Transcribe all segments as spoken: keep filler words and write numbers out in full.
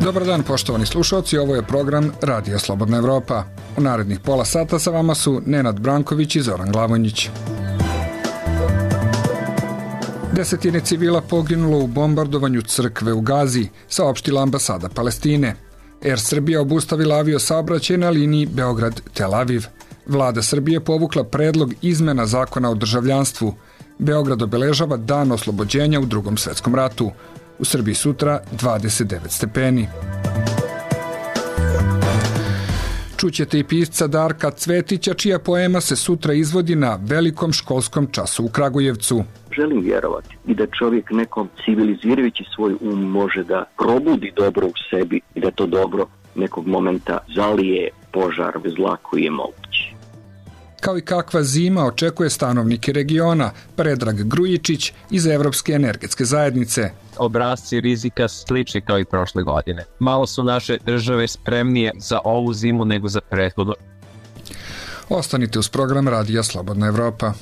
Dobar dan, poštovani slušalci, ovo je program Radija Slobodna Evropa. U narednih pola sata sa vama su Nenad Branković i Zoran Glavonjić. Desetine civila poginulo u bombardovanju crkve u Gazi, saopštila ambasada Palestine. Er Srbija obustavila avio saobraćaj na liniji Beograd-Tel Aviv. Vlada Srbije povukla predlog izmena zakona o državljanstvu. Beograd obeležava dan oslobođenja u Drugom svetskom ratu. U Srbiji sutra dvadeset devet stepeni. Čućete i pisca Darka Cvetića, čija poema se sutra izvodi na velikom školskom času u Kragujevcu. Želim vjerovati i da čovjek nekom civilizirajući svoj um može da probudi dobro u sebi i da to dobro nekog momenta zalije požar zla koji je mogući. Kao i kakva zima očekuje stanovnike regiona, Predrag Grujičić iz Evropske energetske zajednice. Obrasci rizika slični kao i prošle godine. Malo su naše države spremnije za ovu zimu nego za prethodnu. Ostanite uz program Radija Slobodna Evropa.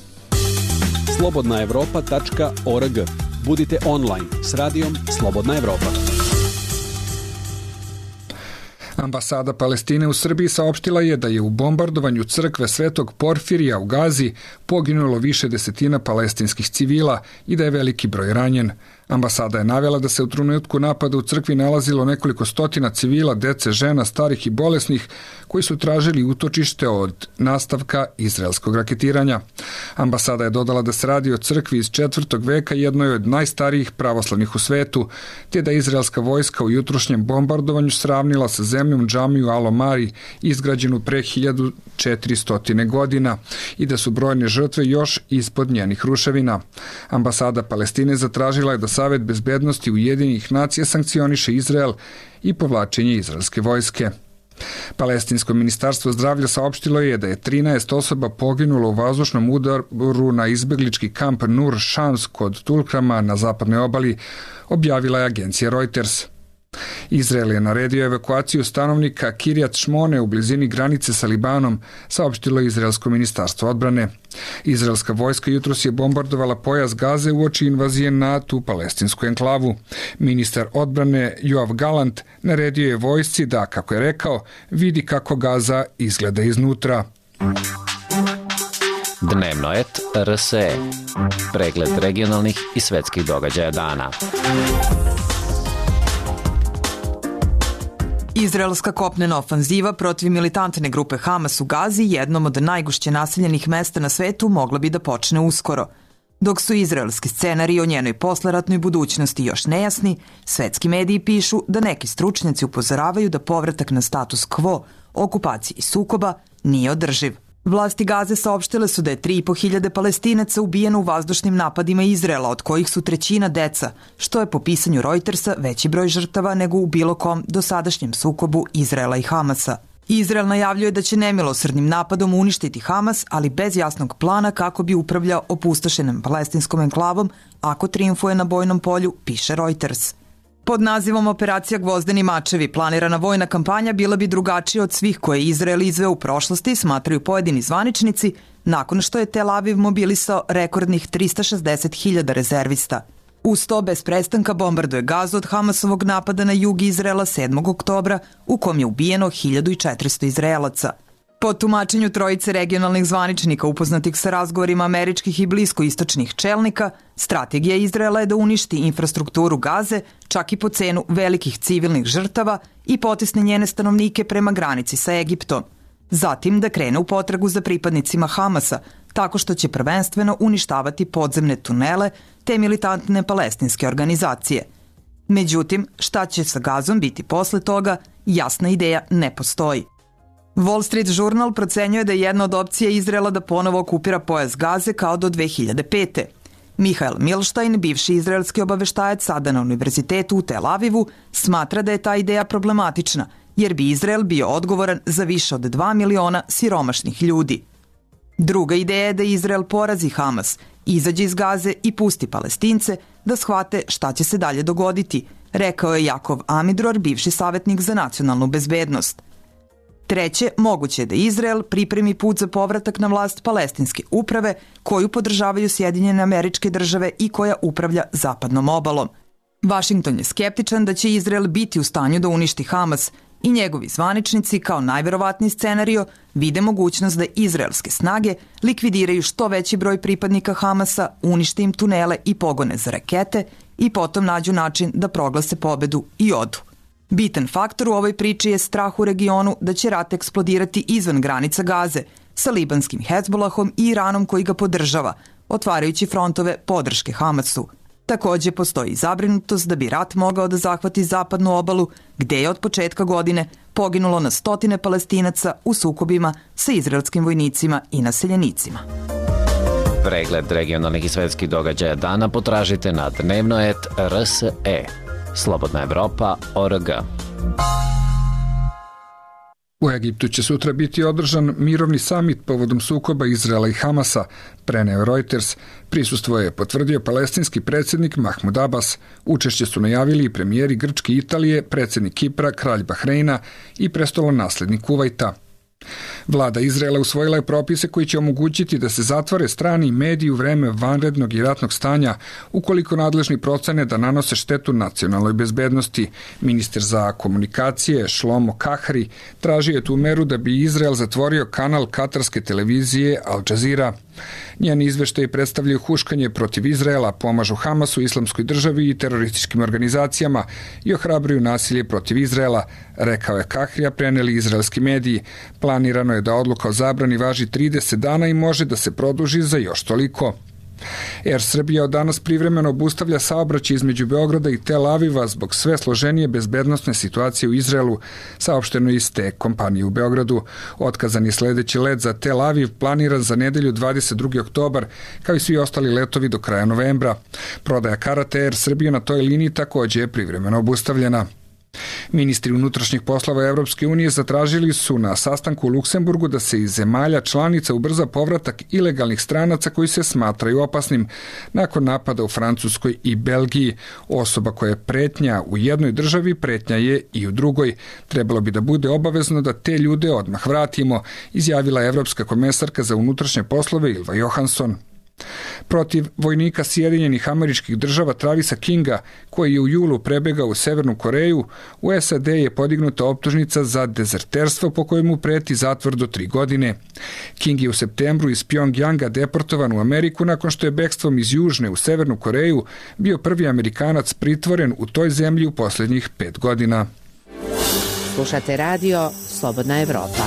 slobodna evropa tačka org. Budite online s radijom Slobodna Evropa. Ambasada Palestine u Srbiji saopštila je da je u bombardovanju crkve Svetog Porfirija u Gazi poginulo više desetina palestinskih civila i da je veliki broj ranjen. Ambasada je navela da se u trenutku napada u crkvi nalazilo nekoliko stotina civila, dece, žena, starih i bolesnih, koji su tražili utočište od nastavka izraelskog raketiranja. Ambasada je dodala da se radi o crkvi iz četvrtog veka, jednoj od najstarijih pravoslavnih u svetu, te da izraelska vojska u jutrošnjem bombardovanju sravnila sa zemljom džamiju Al-Omari, izgrađenu pre hiljadu četiristo godina, i da su brojne žrtve još ispod njenih ruševina. Ambasada Palestine zatražila je da Savet bezbednosti Ujedinjenih nacija sankcioniše Izrael i povlačenje izraelske vojske. Palestinsko ministarstvo zdravlja saopštilo je da je trinaest osoba poginulo u vazdušnom udaru na izbeglički kamp Nur Shams kod Tulkrama na zapadnoj obali, objavila je agencija Reuters. Izrael je naredio evakuaciju stanovnika Kirjat Šmone u blizini granice sa Libanom, saopštilo je izraelsko ministarstvo odbrane. Izraelska vojska jutros je bombardovala pojas Gaze uoči invazije na tu palestinsku enklavu. Ministar odbrane Joav Galant naredio je vojsci da, kako je rekao, vidi kako Gaza izgleda iznutra. Dnevnoet R S E. Pregled regionalnih i svetskih događaja dana. Izraelska kopnena ofanziva protiv militantne grupe Hamas u Gazi, jednom od najgušće naseljenih mesta na svetu, mogla bi da počne uskoro. Dok su izraelski scenariji o njenoj posleratnoj budućnosti još nejasni, svetski mediji pišu da neki stručnjaci upozoravaju da povratak na status quo, okupaciji i sukoba nije održiv. Vlasti Gaze saopštile su da je tri i po hiljade Palestinaca ubijeno u vazdušnim napadima Izraela, od kojih su trećina deca, što je po pisanju Reutersa veći broj žrtava nego u bilo kom dosadašnjem sukobu Izraela i Hamasa. Izrael najavljuje da će nemilosrdnim napadom uništiti Hamas, ali bez jasnog plana kako bi upravljao opustošenom palestinskom enklavom ako trijumfuje na bojnom polju, piše Reuters. Pod nazivom Operacija Gvozdeni mačevi planirana vojna kampanja bila bi drugačija od svih koje Izrael izveo u prošlosti, smatraju pojedini zvaničnici, nakon što je Tel Aviv mobilisao rekordnih trista šezdeset hiljada rezervista. Uz to bez prestanka bombarduje Gazu od Hamasovog napada na jug Izraela sedmog oktobra, u kom je ubijeno hiljadu četiristo Izraelaca. Po tumačenju trojice regionalnih zvaničnika upoznatih sa razgovorima američkih i bliskoistočnih čelnika, strategija Izraela je da uništi infrastrukturu Gaze, čak i po cenu velikih civilnih žrtava, i potisne njene stanovnike prema granici sa Egiptom. Zatim da krene u potragu za pripadnicima Hamasa, tako što će prvenstveno uništavati podzemne tunele te militantne palestinske organizacije. Međutim, šta će sa Gazom biti posle toga, jasna ideja ne postoji. Wall Street Journal procenjuje da je jedna od opcija Izraela da ponovo okupira pojas Gaze kao do dve hiljade pete. Mihael Milstein, bivši izraelski obaveštajac sada na univerzitetu u Tel Avivu, smatra da je ta ideja problematična, jer bi Izrael bio odgovoran za više od dva miliona siromašnih ljudi. Druga ideja je da Izrael porazi Hamas, izađe iz Gaze i pusti Palestince da shvate šta će se dalje dogoditi, rekao je Jakov Amidror, bivši savjetnik za nacionalnu bezbednost. Treće, moguće je da Izrael pripremi put za povratak na vlast palestinske uprave koju podržavaju Sjedinjene Američke Države i koja upravlja zapadnom obalom. Vašington je skeptičan da će Izrael biti u stanju da uništi Hamas i njegovi zvaničnici kao najverovatniji scenario vide mogućnost da izraelske snage likvidiraju što veći broj pripadnika Hamasa, unište im tunele i pogone za rakete i potom nađu način da proglase pobedu i odu. Bitan faktor u ovoj priči je strah u regionu da će rat eksplodirati izvan granica Gaze sa libanskim Hezbolahom i Iranom koji ga podržava, otvarajući frontove podrške Hamasu. Takođe postoji zabrinutost da bi rat mogao da zahvati zapadnu obalu, gde je od početka godine poginulo na stotine Palestinaca u sukobima sa izraelskim vojnicima i naseljenicima. Pregled regionalnih i svetskih događaja dana potražite na dnevno et er es e. Slobodna Evropa точка орг. U Egiptu će sutra biti održan mirovni samit povodom sukoba Izraela i Hamasa, preneo Reuters. Prisustvo je potvrdio palestinski predsjednik Mahmud Abbas. Učešće su najavili i premijeri Grčke i Italije, predsjednik Kipra, kralj Bahreina i prestolonaslednik Kuvajta. Vlada Izraela usvojila je propise koji će omogućiti da se zatvore strani mediji u vreme vanrednog i ratnog stanja ukoliko nadležni procene da nanose štetu nacionalnoj bezbednosti. Ministar za komunikacije Šlomo Kahri tražio je tu meru da bi Izrael zatvorio kanal katarske televizije Al Jazeera. Njeni izveštaji predstavljaju huškanje protiv Izraela, pomažu Hamasu, islamskoj državi i terorističkim organizacijama i ohrabruju nasilje protiv Izraela, rekao je Kahrija, preneli izraelski mediji. Planirano je da odluka o zabrani važi trideset dana i može da se produži za još toliko. Air Srbija od danas privremeno obustavlja saobraćaj između Beograda i Tel Aviva zbog sve složenije bezbednosne situacije u Izraelu, saopšteno iz te kompanije u Beogradu. Otkazan je sledeći let za Tel Aviv, planiran za nedelju dvadeset drugog oktobar, kao i svi ostali letovi do kraja novembra. Prodaja karata Air Srbije na toj liniji takođe je privremeno obustavljena. Ministri unutrašnjih poslova Evropske unije zatražili su na sastanku u Luksemburgu da se iz zemalja članica ubrza povratak ilegalnih stranaca koji se smatraju opasnim nakon napada u Francuskoj i Belgiji. Osoba koja je pretnja u jednoj državi, pretnja je i u drugoj. Trebalo bi da bude obavezno da te ljude odmah vratimo, izjavila je evropska komesarka za unutrašnje poslove Ylva Johansson. Protiv vojnika Sjedinjenih Američkih Država Travisa Kinga, koji je u julu prebegao u Severnu Koreju, u S A D je podignuta optužnica za dezerterstvo po kojemu preti zatvor do tri godine. King je u septembru iz Pjongjanga deportovan u Ameriku nakon što je bekstvom iz Južne u Severnu Koreju bio prvi Amerikanac pritvoren u toj zemlji u posljednjih pet godina. Slušate radio Slobodna Evropa.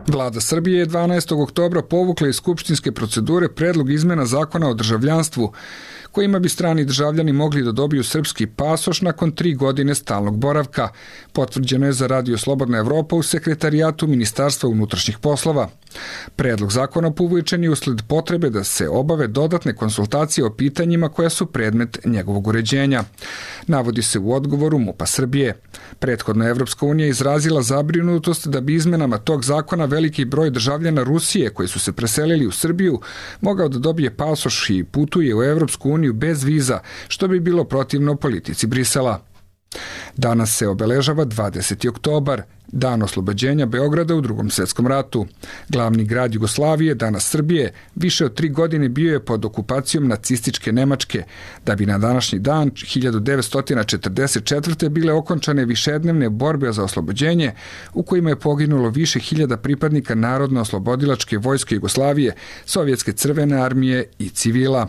Vlada Srbije je dvanaestog oktobra povukla iz skupštinske procedure predlog izmena zakona o državljanstvu, kojima bi strani državljani mogli da dobiju srpski pasoš nakon tri godine stalnog boravka. Potvrđeno je za Radio Slobodna Evropa u sekretarijatu Ministarstva unutrašnjih poslova. Predlog zakona povučen je usled potrebe da se obave dodatne konsultacije o pitanjima koja su predmet njegovog uređenja. Navodi se u odgovoru MUP-a Srbije. Prethodno Evropska unija izrazila zabrinutost da bi izmenama tog zakona veliki broj državljana Rusije koji su se preselili u Srbiju mogao da dobije pasoš i putuje u Evropsku uniju bez viza, što bi bilo protivno politici Brisela. Danas se obeležava dvadeseti oktobar, dan oslobođenja Beograda u Drugom svjetskom ratu. Glavni grad Jugoslavije, danas Srbije, više od tri godine bio je pod okupacijom nacističke Nemačke, da bi na današnji dan hiljadu devetsto četrdeset četvrte bile okončane višednevne borbe za oslobođenje, u kojima je poginulo više hiljada pripadnika Narodno-oslobodilačke vojske Jugoslavije, Sovjetske crvene armije i civila.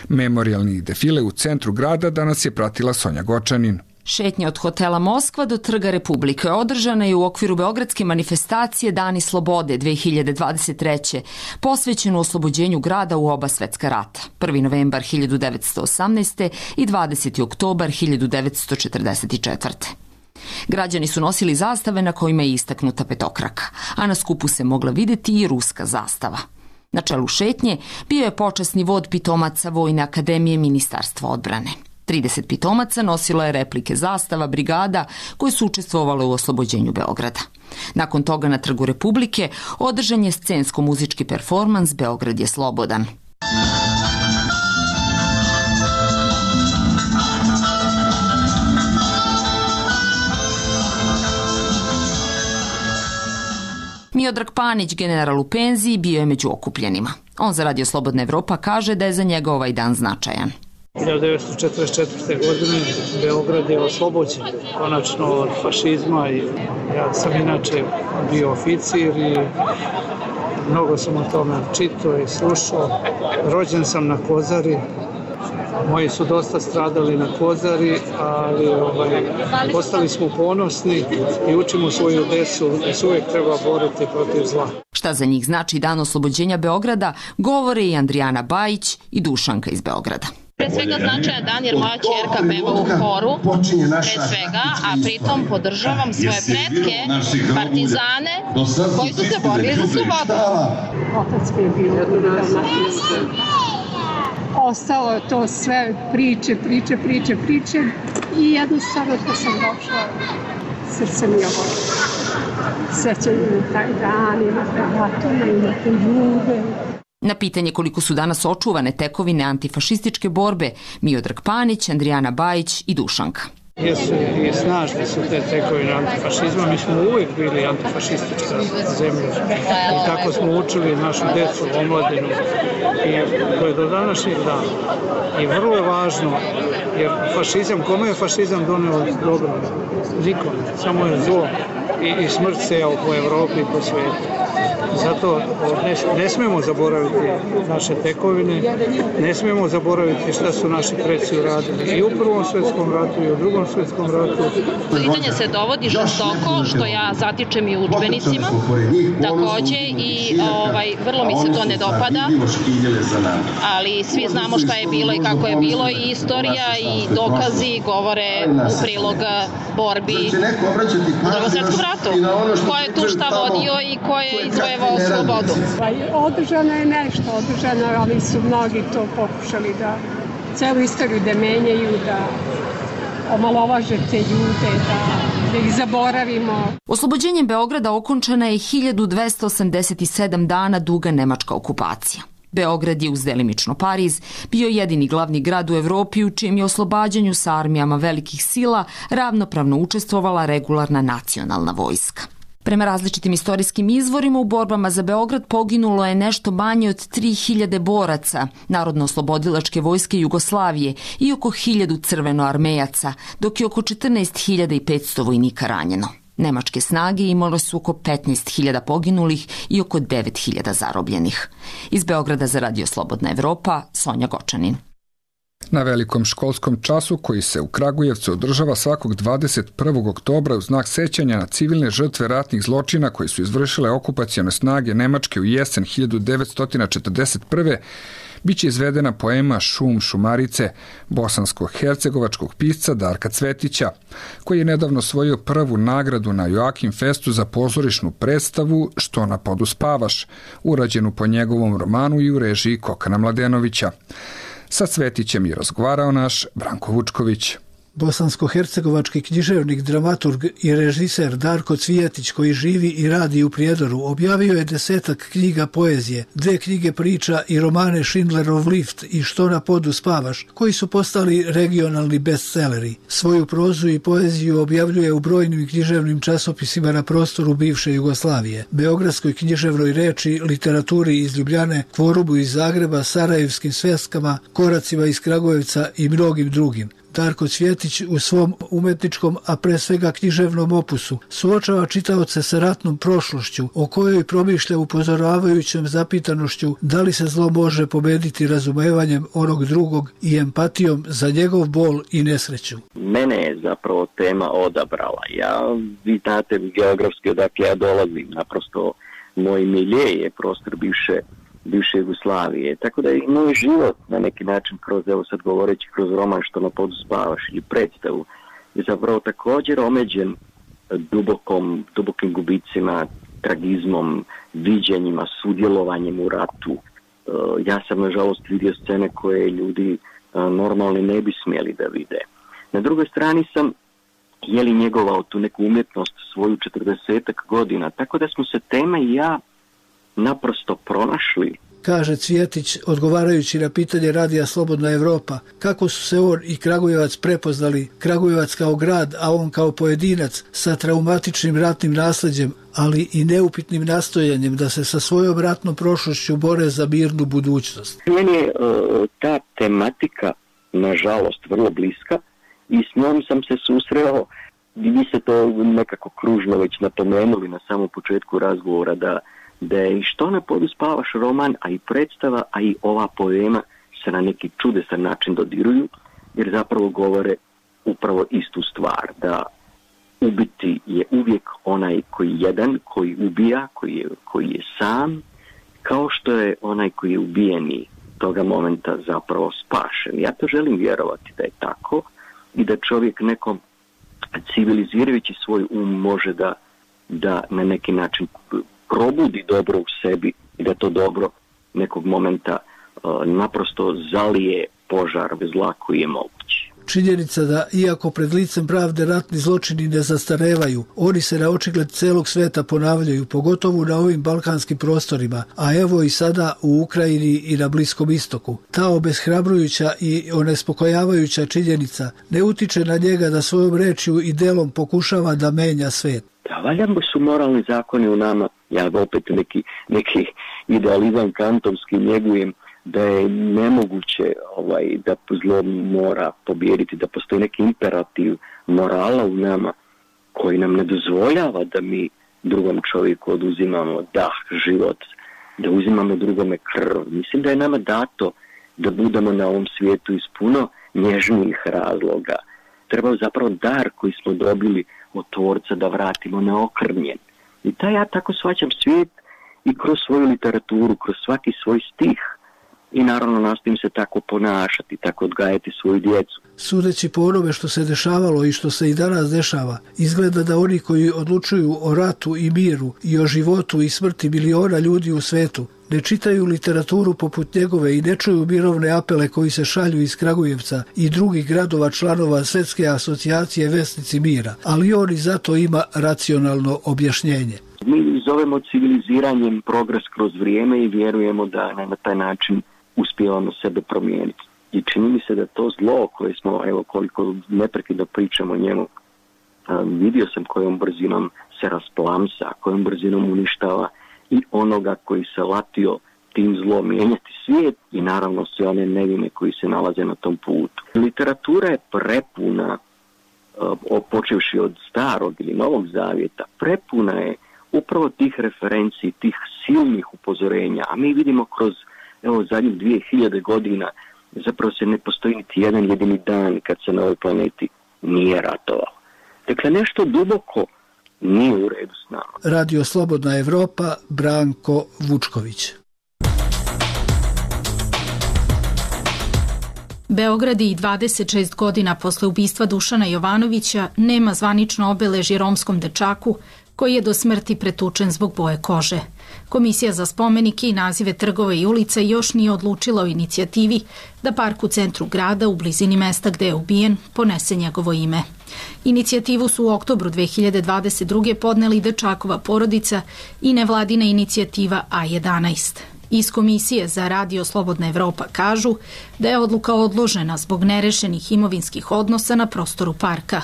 Memorijalni defile u centru grada danas je pratila Sonja Gočanin. Šetnja od hotela Moskva do Trga Republike održana je u okviru beogradske manifestacije Dani slobode dve hiljade dvadeset treće. posvećenu oslobođenju grada u oba svetska rata, prvi novembar hiljadu devetsto osamnaeste. i dvadeseti oktobar hiljadu devetsto četrdeset četvrte. Građani su nosili zastave na kojima je istaknuta petokraka, a na skupu se mogla videti i ruska zastava. Na čelu šetnje bio je počasni vod pitomaca Vojne akademije Ministarstva odbrane. trideset pitomaca nosilo je replike zastava brigada koje su učestvovale u oslobođenju Beograda. Nakon toga na Trgu Republike održan je scensko-muzički performans Beograd je slobodan. Miodrag Panić, general u penziji, bio je među okupljenima. On za Radio Slobodna Evropa kaže da je za njega ovaj dan značajan. hiljadu devetsto četrdeset četvrte. godine Beograd je oslobođen konačno od fašizma i ja sam inače bio oficir i mnogo sam o tome čitao i slušao. Rođen sam na Kozari. Moji su dosta stradali na Kozari, ali ovaj, ostali smo ponosni i učimo svoju decu da se uvijek treba boriti protiv zla. Šta za njih znači Dan oslobođenja Beograda, govore i Andrijana Bajić i Dušanka iz Beograda. Pre svega značajan dan jer moja ćerka peva u horu, pre svega, a pritom podržavam svoje pretke, partizane, koji su se borili za slobodu. Otac mi je bio dalmatinski. Ostalo je to sve priče, priče, priče, priče i jednostavno što sam došla, srce mi je ovo. Sećam na taj dan, i na te vatone, i na te ljude. Na pitanje koliko su danas očuvane tekovine antifašističke borbe, Miodrag Panić, Andrijana Bajić i Dušanka. Jesu i snažne su te tekovine antifašizma, mi smo uvijek bili antifašistička zemlja i tako smo učili našu decu, omladinu i to je do današnjeg dana. I vrlo je važno, jer fašizam, kome je fašizam doneo dobro? Nikome, samo je zlo i, i smrt sejao po Evropi i po svijetu. Zato ne, ne smemo zaboraviti naše tekovine, ne smemo zaboraviti šta su naši preci uradili i u Prvom svjetskom ratu i u Drugom svjetskom ratu. Pitanje se dovodi žestoko, što ja zatičem i u udžbenicima, takođe i ovaj, vrlo mi se to ne dopada, ali svi znamo šta je bilo i kako je bilo i istorija i dokazi govore u prilog borbi u Drugom svjetskom ratu. Ko je tu šta vodio i ko je izvojevao slobodu. Održano je nešto, održano, ali su mnogi to pokušali da celu istoriju da menjaju, da omalovaže te ljude, da, da ih zaboravimo. Oslobođenjem Beograda okončana je hiljadu dvesta osamdeset sedam dana duga nemačka okupacija. Beograd je uz delimično Pariz bio jedini glavni grad u Evropi u čijem je oslobađanju sa armijama velikih sila ravnopravno učestvovala regularna nacionalna vojska. Prema različitim istorijskim izvorima u borbama za Beograd poginulo je nešto manje od tri hiljade boraca Narodno-oslobodilačke vojske Jugoslavije i oko hiljadu crvenoarmejaca, dok je oko četrnaest hiljada petsto vojnika ranjeno. Nemačke snage imale su oko petnaest hiljada poginulih i oko devet hiljada zarobljenih. Iz Beograda za Radio Slobodna Evropa, Sonja Gočanin. Na velikom školskom času koji se u Kragujevcu održava svakog dvadeset prvog oktobra u znak sećanja na civilne žrtve ratnih zločina koji su izvršile okupacione snage Nemačke u jesen hiljadu devetsto četrdeset prve. biće izvedena poema Šum šumarice bosansko-hercegovačkog pisca Darka Cvetića, koji je nedavno osvojio prvu nagradu na Joakim Festu za pozorišnu predstavu Što na podu spavaš, urađenu po njegovom romanu i u režiji Kokana Mladenovića. Sa Cvetićem je razgovarao naš Branko Vučković. Bosansko-hercegovački književnik, dramaturg i režiser Darko Cvijetić, koji živi i radi u Prijedoru, objavio je desetak knjiga poezije, dve knjige priča i romane Schindlerov lift i Što na podu spavaš, koji su postali regionalni bestseleri. Svoju prozu i poeziju objavljuje u brojnim književnim časopisima na prostoru bivše Jugoslavije, Beogradskoj književnoj reči, literaturi iz Ljubljane, Kvorubu iz Zagreba, Sarajevskim sveskama, Koracima iz Kragujevca i mnogim drugim. Darko Cvjetić u svom umetničkom, a pre svega književnom opusu, suočava čitaoce sa ratnom prošlošću, o kojoj promišlja upozoravajućom zapitanošću da li se zlo može pobediti razumevanjem onog drugog i empatijom za njegov bol i nesreću. Mene je zapravo tema odabrala. Ja, vi znate geografski odakle ja dolazim, naprosto moj milje je prostor bivše bivše Jugoslavije. Tako da i moj život na neki način kroz, evo sad govoreći kroz roman Što na podu spavaš ili predstavu, je zapravo također omeđen dubokom, dubokim gubicima, tragizmom, viđenjima, sudjelovanjem u ratu. Ja sam nažalost vidio scene koje ljudi normalni ne bi smjeli da vide. Na drugoj strani sam je li njegovao tu neku umjetnost svoju četrdesetak godina, tako da smo se tema i ja naprosto pronašli. Kaže Cvjetić, odgovarajući na pitanje Radija Slobodna Evropa, kako su se on i Kragujevac prepoznali, Kragujevac kao grad, a on kao pojedinac sa traumatičnim ratnim nasljeđem, ali i neupitnim nastojanjem da se sa svojom ratnom prošlošću bore za mirnu budućnost. Meni je uh, ta tematika nažalost, vrlo bliska i s njom sam se susreo, vi ste to nekako kružno već napomenuli na samom početku razgovora, da, da je i Što ne poduspavaš roman, a i predstava, a i ova poema se na neki čudesan način dodiruju, jer zapravo govore upravo istu stvar, da ubiti je uvijek onaj koji je jedan, koji ubija, koji je, koji je sam, kao što je onaj koji je ubijeni toga momenta zapravo spašen. Ja to želim vjerovati da je tako i da čovjek nekom civilizirajući svoj um može da, da na neki način probudi dobro u sebi i da to dobro nekog momenta uh, naprosto zalije požar zla koji je mogući. Činjenica da, iako pred licem pravde ratni zločini ne zastarevaju, oni se na očigled celog sveta ponavljaju, pogotovo na ovim balkanskim prostorima, a evo i sada u Ukrajini i na Bliskom istoku. Ta obeshrabrujuća i onespokojavajuća činjenica ne utiče na njega da svojom rečju i delom pokušava da menja svet. Da, valjamo su moralni zakoni u nama, ja opet neki, neki idealizam kantovski njegujem, da je nemoguće ovaj, da zlo mora pobijediti, da postoji neki imperativ morala u nama koji nam ne dozvoljava da mi drugom čovjeku oduzimamo dah, život, da uzimamo drugome krv. Mislim da je nama dato da budemo na ovom svijetu iz puno nježnijih razloga. Treba zapravo dar koji smo dobili od Tvorca da vratimo neokrnjen. I taj ja tako shvaćam svijet i kroz svoju literaturu, kroz svaki svoj stih. I naravno nastojim se tako ponašati, tako odgajati svoju djecu. Sudeći po onome što se dešavalo i što se i danas dešava, izgleda da oni koji odlučuju o ratu i miru i o životu i smrti miliona ljudi u svetu ne čitaju literaturu poput njegove i ne čuju mirovne apele koji se šalju iz Kragujevca i drugih gradova članova Svjetske asocijacije Vesnici mira, ali on i zato ima racionalno objašnjenje. Mi zovemo civiliziranjem progres kroz vrijeme i vjerujemo da na taj način uspijevamo sebe promijeniti. I čini mi se da to zlo koje smo, evo koliko neprekidno pričamo o njemu, um, vidio sam kojom brzinom se rasplamsa, kojom brzinom uništava i onoga koji se latio tim zlom mijenjati svijet i naravno sve one nevine koji se nalaze na tom putu. Literatura je prepuna, uh, počevši od starog ili novog zavjeta, prepuna je upravo tih referenciji, tih silnih upozorenja, a mi vidimo kroz evo zadnjih dvije hiljade godina zapravo se ne postoji niti jedan jedini dan kad se na ovoj planeti nije ratovalo. Dakle, nešto duboko nije u redu s nama. Radio Slobodna Evropa, Branko Vučković. Beograd i dvadeset šest godina posle ubistva Dušana Jovanovića nema zvanično obeležje romskom dečaku koji je do smrti pretučen zbog boje kože. Komisija za spomenike i nazive trgova i ulica još nije odlučila o inicijativi da park u centru grada, u blizini mesta gde je ubijen, ponese njegovo ime. Inicijativu su u oktobru dve hiljade dvadeset druge podneli dečakova porodica i nevladina inicijativa A jedanaest. Iz Komisije za Radio Slobodna Evropa kažu da je odluka odložena zbog nerešenih imovinskih odnosa na prostoru parka.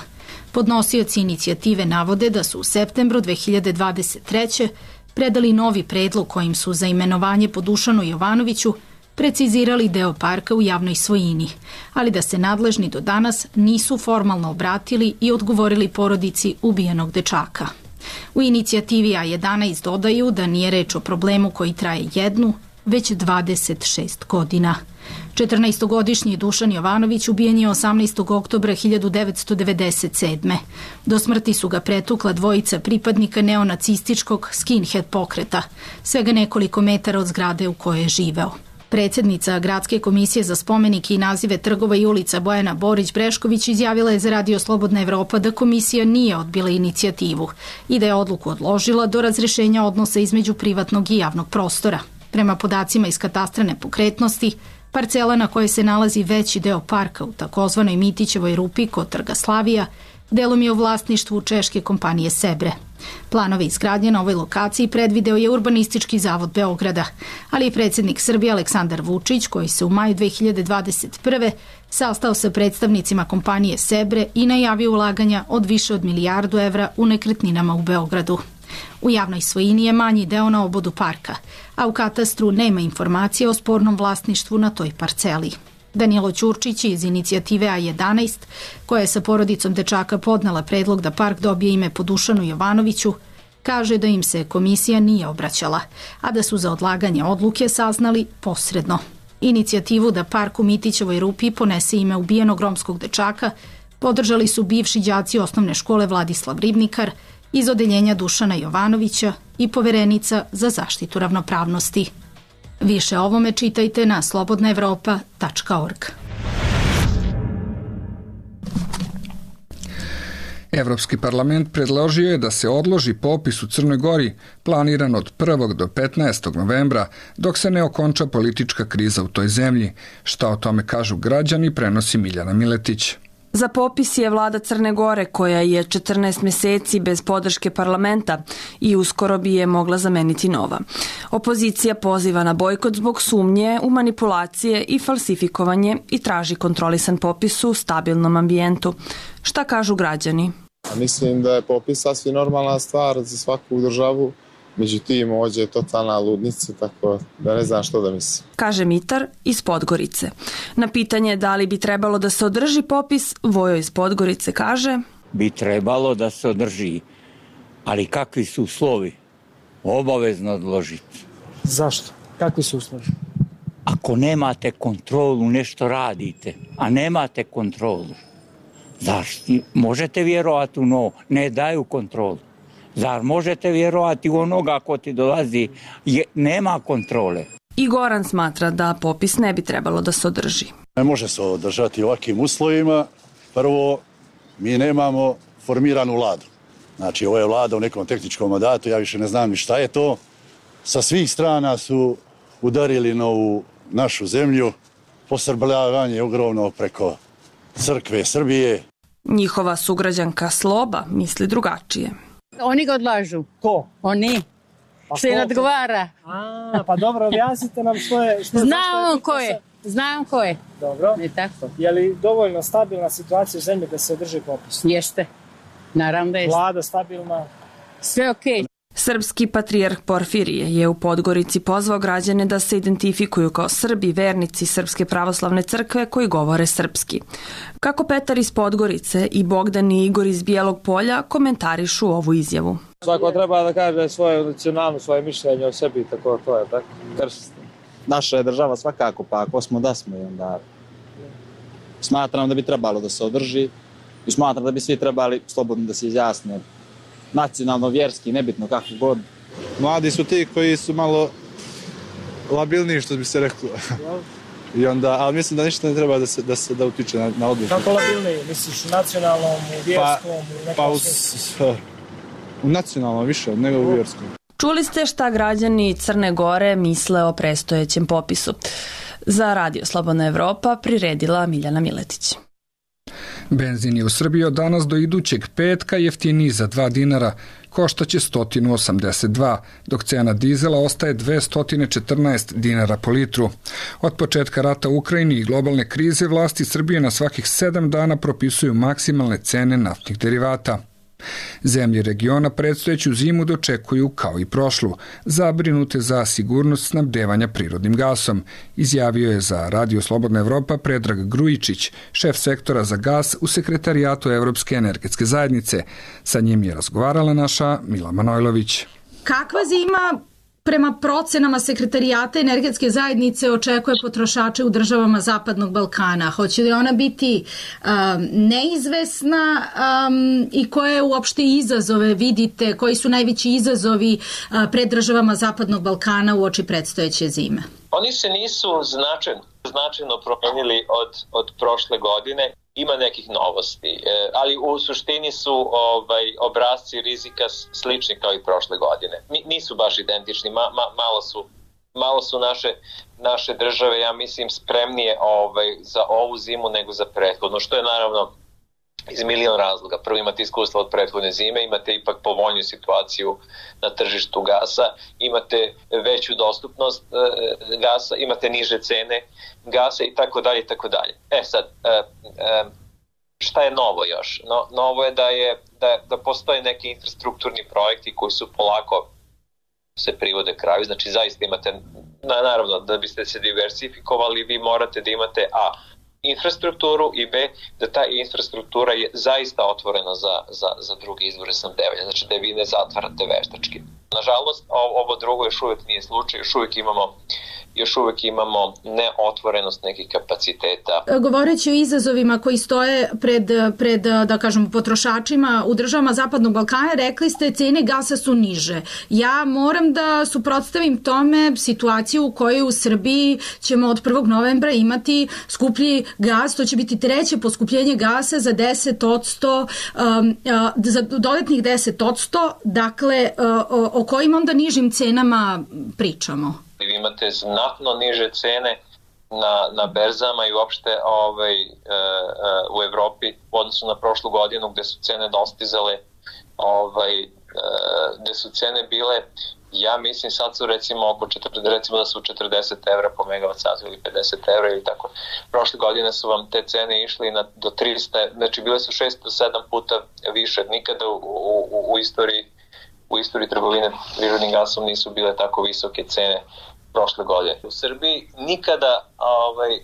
Podnosioci inicijative navode da su u septembru dve hiljade dvadeset treće predali novi predlog kojim su za imenovanje po Dušanu Jovanoviću precizirali deo parka u javnoj svojini, ali da se nadležni do danas nisu formalno obratili i odgovorili porodici ubijenog dečaka. U inicijativi A jedanaest dodaju da nije reč o problemu koji traje jednu, već dvadeset šest godina. četrnaestogodišnji Dušan Jovanović ubijen je osamnaestog oktobra hiljadu devetsto devedeset sedme. Do smrti su ga pretukla dvojica pripadnika neonacističkog skinhead pokreta, svega nekoliko metara od zgrade u kojoj je živeo. Predsjednica Gradske komisije za spomenike i nazive trgova i ulica Bojana Borić-Brešković izjavila je za Radio Slobodna Evropa da komisija nije odbila inicijativu i da je odluku odložila do razrešenja odnosa između privatnog i javnog prostora. Prema podacima iz katastra nepokretnosti, parcela na kojoj se nalazi veći deo parka u takozvanoj Mitićevoj rupi kod Trga Slavija, delom je u vlasništvu češke kompanije Sebre. Planove izgradnje na ovoj lokaciji predvideo je Urbanistički zavod Beograda, ali i predsjednik Srbije Aleksandar Vučić, koji se u maju dve hiljade dvadeset prve sastao sa predstavnicima kompanije Sebre i najavio ulaganja od više od milijardu evra u nekretninama u Beogradu. U javnoj svojini je manji deo na obodu parka, a u katastru nema informacije o spornom vlasništvu na toj parceli. Danilo Ćurčić iz inicijative A jedanaest, koja je sa porodicom dečaka podnela predlog da park dobije ime po Dušanu Jovanoviću, kaže da im se komisija nije obraćala, a da su za odlaganje odluke saznali posredno. Inicijativu da park u Mitićevoj Rupi ponese ime ubijenog romskog dečaka podržali su bivši đaci osnovne škole Vladislav Ribnikar iz odeljenja Dušana Jovanovića i poverenica za zaštitu ravnopravnosti. Više o ovome čitajte na slobodna evropa tačka org. Evropski parlament predložio je da se odloži popis u Crnoj Gori planiran od prvog do petnaestog novembra dok se ne okonča politička kriza u toj zemlji. Šta o tome kažu građani, prenosi Miljana Miletić. Za popis je vlada Crne Gore, koja je četrnaest meseci bez podrške parlamenta i uskoro bi je mogla zameniti nova. Opozicija poziva na bojkot zbog sumnje u manipulacije i falsifikovanje i traži kontrolisan popis u stabilnom ambijentu. Šta kažu građani? Mislim da je popis sasvim normalna stvar za svaku državu. Međutim, ovdje je totalna ludnica, tako da ne znam što da mislim. Kaže Mitar iz Podgorice. Na pitanje da li bi trebalo da se održi popis, Vojo iz Podgorice kaže: Bi trebalo da se održi, ali kakvi su uslovi? Obavezno odložiti. Zašto? Kakvi su uslovi? Ako nemate kontrolu, nešto radite, a nemate kontrolu. Zašto? Možete vjerovati u novo, ne daju kontrolu. Zar možete vjerovati u onoga ko ti dolazi, je, nema kontrole? I Goran smatra da popis ne bi trebalo da se održi. Ne može se održati u ovakvim uslovima. Prvo, mi nemamo formiranu vladu. Znači, ovo je vlada u nekom tehničkom mandatu, ja više ne znam ni šta je to. Sa svih strana su udarili na ovu našu zemlju. Posrbljavanje ogromno preko crkve Srbije. Njihova sugrađanka Sloba misli drugačije. Oni ga odlažu. Ko? Oni. Pa što je odgovara. A, pa dobro, objasnite nam što je... Što, Znam ko je. Znam ko je. Dobro. Ne tako. Je li dovoljno stabilna situacija u zemlji da se održi popis? Jeste. Naravno da jeste. Vlada stabilna. Sve okej. Okay. Srpski patrijarh Porfirije je u Podgorici pozvao građane da se identifikuju kao Srbi, vernici Srpske pravoslavne crkve koji govore srpski. Kako Petar iz Podgorice i Bogdan i Igor iz Bijelog Polja komentarišu ovu izjavu. Svako treba da kaže svoje nacionalno, svoje mišljenje o sebi, tako to je, tako? Krst. Naša je država svakako, pa ako smo da smo i onda smatram da bi trebalo da se održi i smatram da bi svi trebali slobodno da se izjasne. Nacionalno, vjerski, nebitno kako god. Mladi su ti koji su malo labilniji, što bi se reklo. I onda, ali mislim da ništa ne treba da se da se da utiče na, na odluku. Kako labilniji? Misliš u nacionalnom, u vjerskom, u nekom pa, u, smislu? U nacionalnom više nego u vjerskom. Čuli ste šta građani Crne Gore misle o prestojećem popisu. Za Radio Slobodna Evropa priredila Miljana Miletić. Benzin je u Srbiji od danas do idućeg petka jeftiniji za dva dinara, koštaće sto osamdeset dva, dok cena dizela ostaje dvesta četrnaest dinara po litru. Od početka rata u Ukrajini i globalne krize vlasti Srbije na svakih sedam dana propisuju maksimalne cene naftnih derivata. Zemlje regiona predstojeću zimu dočekuju kao i prošlu, zabrinute za sigurnost snabdevanja prirodnim gasom, izjavio je za Radio Slobodna Evropa Predrag Grujičić, šef sektora za gas u Sekretarijatu Evropske energetske zajednice. Sa njim je razgovarala naša Mila Manojlović. Kakva zima prema procenama Sekretarijata energetske zajednice očekuje potrošače u državama Zapadnog Balkana? Hoće li ona biti um, neizvesna um, i koje uopšte izazove vidite, koji su najveći izazovi uh, pred državama Zapadnog Balkana u oči predstojeće zime? Oni se nisu značajno, značajno promenili od, od prošle godine. Ima nekih novosti, e, ali u suštini su ovaj, obrazci rizika slični kao i prošle godine. N- nisu baš identični, ma, ma, malo su, malo su naše, naše države, ja mislim, spremnije ovaj, za ovu zimu nego za prethodnu, što je naravno iz milion razloga. Prvo, imate iskustva od prethodne zime, imate ipak povoljniju situaciju na tržištu gasa, imate veću dostupnost e, gasa, imate niže cene gasa i tako dalje i tako dalje. E sad, e, e, šta je novo još? No, novo je da, je da, da postoje neki infrastrukturni projekti koji su polako se privode kraju, znači zaista imate na, naravno, da biste se diversifikovali, vi morate da imate a infrastrukturu i b da ta infrastruktura je zaista otvorena za, za, za druge izvore snabdevanja, znači da vi ne zatvarate veštački. Nažalost, ovo drugo još uvijek nije slučaj, još uvijek imamo još uvijek imamo neotvorenost nekih kapaciteta. Govoreći o izazovima koji stoje pred, pred da kažem, potrošačima u državama Zapadnog Balkana, rekli ste cene gasa su niže. Ja moram da suprotstavim tome situaciju u kojoj u Srbiji ćemo od prvog novembra imati skuplji gas, to će biti treće poskupljenje gasa za deset odsto, um, za dodatnih deset odsto, dakle o, o kojim onda nižim cenama pričamo? Vi imate znatno niže cene na, na berzama i uopšte ovaj, e, e, u Evropi u odnosu na prošlu godinu gde su cene dostizale, ovaj, e, gde su cene bile, ja mislim sad su recimo oko četrdeset, recimo da su četrdeset evra po megavat satu ili pedeset evra ili tako. Prošle godine su vam te cene išli na, do trista, znači bile su šest do sedam puta više. Nikada u, u, u istoriji u istoriji trgovine prirodnim gasom nisu bile tako visoke cene prošle godine. U Srbiji nikada ovaj,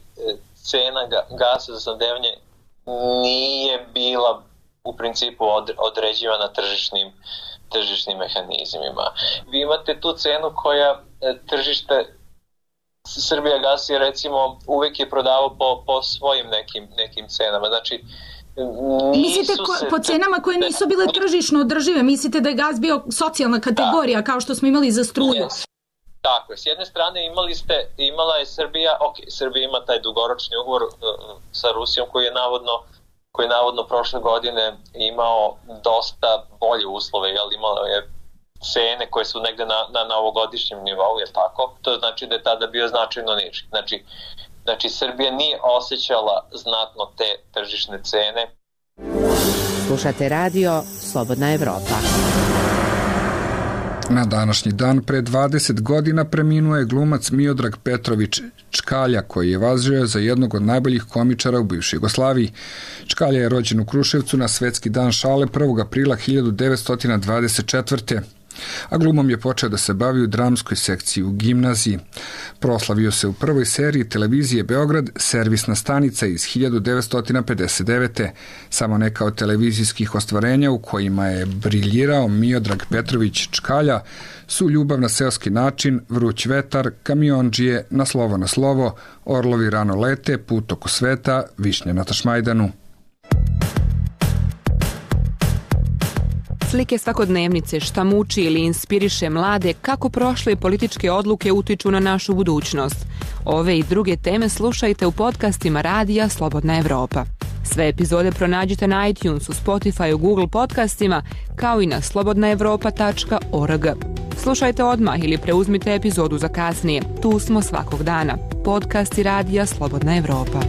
cena gasa za snabdevanje nije bila u principu određivana tržišnim, tržišnim mehanizmima. Vi imate tu cenu koja tržište Srbija gas je recimo uvek je prodavao po, po svojim nekim, nekim cenama. Znači, mislite ko, se, po cenama koje nisu bile tržišno održive, mislite da je gas bio socijalna kategorija, da, kao što smo imali za struju? Yes. Tako je, s jedne strane imali ste, imala je Srbija, ok, Srbija ima taj dugoročni ugovor uh, sa Rusijom koji je navodno, koji je navodno prošle godine imao dosta bolje uslove, jel, imalo je cene koje su negde na, na, na ovogodišnjem nivou, je tako? To znači da je tada bio značajno niži. Znači, znači Srbija nije osjećala znatno te tržišne cene. Slušate radio Slobodna Evropa. Na današnji dan pre dvadeset godina preminuo je glumac Miodrag Petrović Čkalja, koji je važio za jednog od najboljih komičara u bivšoj Jugoslaviji. Čkalja je rođen u Kruševcu na Svetski dan šale prvog aprila hiljadu devetsto dvadeset četvrte a glumom je počeo da se bavi u dramskoj sekciji u gimnaziji. Proslavio se u prvoj seriji televizije Beograd, servisna stanica iz hiljadu devetsto pedeset devete Samo neka od televizijskih ostvarenja u kojima je briljirao Miodrag Petrović Čkalja su Ljubav na seoski način, Vruć vetar, Kamiondžije, Na slovo na slovo, Orlovi rano lete, Put oko sveta, Višnja na Tašmajdanu. Slike svakodnevnice, šta muči ili inspiriše mlade, kako prošle političke odluke utiču na našu budućnost. Ove i druge teme slušajte u podcastima radija Slobodna Evropa. Sve epizode pronađite na iTunesu, Spotify, Google podcastima, kao i na slobodna evropa tačka org. Slušajte odmah ili preuzmite epizodu za kasnije. Tu smo svakog dana. Podcasti radija Slobodna Evropa.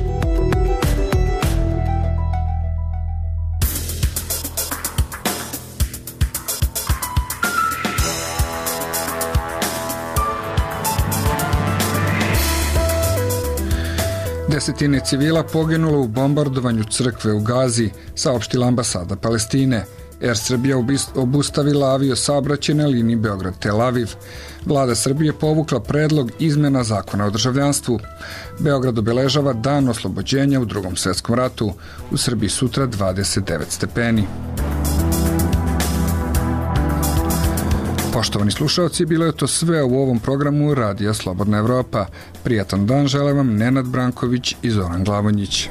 Desetine civila poginulo u bombardovanju crkve u Gazi, saopštila ambasada Palestine. Er Srbija obustavila avio saobraćaj na liniji Beograd-Tel Aviv. Vlada Srbije povukla predlog izmena zakona o državljanstvu. Beograd obeležava dan oslobođenja u Drugom svetskom ratu. U Srbiji sutra dvadeset devet stepeni. Poštovani slušalci, bilo je to sve u ovom programu Radija Slobodna Evropa. Prijatan dan žele vam Nenad Branković i Zoran Glavonjić.